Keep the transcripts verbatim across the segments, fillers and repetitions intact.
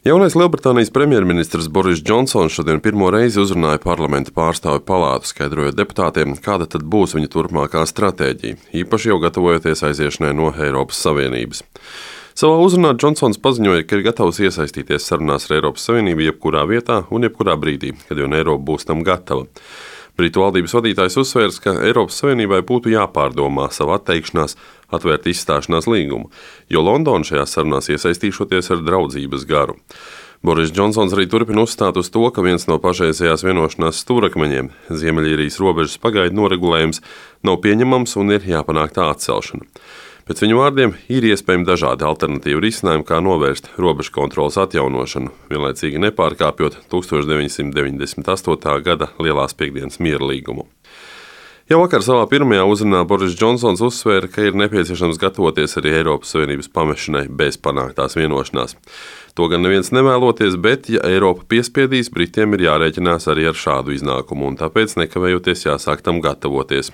Jaunais Lielbritānijas premjerministrs Boris Džonsons šodien pirmo reizi uzrunāja parlamenta pārstāvju palātu, skaidrojot deputātiem, kāda tad būs viņa turpmākā stratēģija, īpaši jau gatavojoties aiziešanai no Eiropas Savienības. Savā uzrunā Džonsons paziņoja, ka ir gatavs iesaistīties sarunās ar Eiropas Savienību jebkurā vietā un jebkurā brīdī, kad jau Eiropa būs tam gatava. Britu valdības vadītājs uzsvērs, ka Eiropas Savienībai būtu jāpārdomā savu atteikšanās atvērt izstāšanās līgumu, jo Londona šajās sarunās iesaistīšoties ar draudzības garu. Boris Džonsons arī turpina uzstāt uz to, ka viens no pašreizējās vienošanās stūrakmeņiem, Ziemeļīrijas robežas pagaidu noregulējums, nav pieņemams un ir jāpanāk tā atcelšana. Pēc viņu vārdiem ir iespējami dažādi alternatīvi risinājumi, kā novērst robežu kontroles atjaunošanu, vienlaicīgi nepārkāpjot tusenč deviņi simti deviņdesmit astotā gada Lielās piekdienas miera līgumu. Jau vakar savā pirmajā uzrunā Boris Džonsons uzsvēra, ka ir nepieciešams gatavoties arī Eiropas Savienības pamešanai bez panāktās vienošanās. To gan neviens nevēloties, bet, ja Eiropa piespiedīs, Britiem ir jārēķinās arī ar šādu iznākumu, un tāpēc nekavējoties jāsāk tam gatavoties.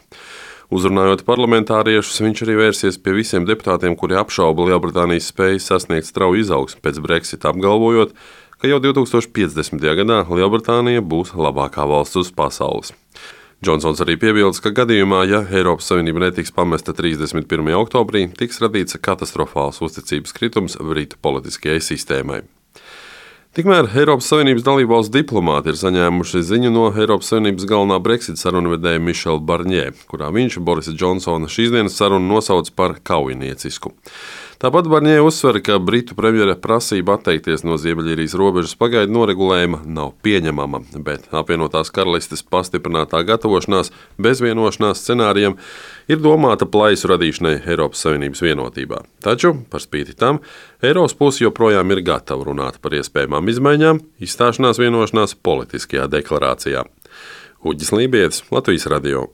Uzrunājot parlamentāriešus, viņš arī vērsies pie visiem deputātiem, kuri apšauba Lielbritānijas spēju sasniegt strauju izaugsmi pēc Brexita, apgalvojot, ka jau divtūkstoš piecdesmitajā gadā Lielbritānija būs labākā valsts uz pasaules. Džonsons arī piebilst, ka gadījumā, ja Eiropas Savienība netiks pamesta trīsdesmit pirmajā oktobrī, tiks radīts katastrofāls uzticības kritums Britu politiskajai sistēmai. Tikmēr Eiropas Savienības dalībvalstu diplomāti ir saņēmuši ziņu no Eiropas Savienības galvenā Brexit sarunvedēja Mišela Barņē, kurā viņš Borisa Džonsona šīsdienas sarunu nosauc par kaujiniecisku. Tāpat Barņē uzsver, ka Britu premjera prasība atteikties no Ziemeļīrijas robežas pagaidu noregulējuma nav pieņemama, bet apvienotās karalistes pastiprinātā gatavošanās bez vienošanās scenārijiem ir domāta plaisu radīšanai Eiropas Savienības vienotībā. Taču, par spīti tam, Eiropas puse joprojām ir gatava runāt par iespējamām izmaiņām izstāšanās vienošanās politiskajā deklarācijā. Uģis Lībietis, Latvijas radio.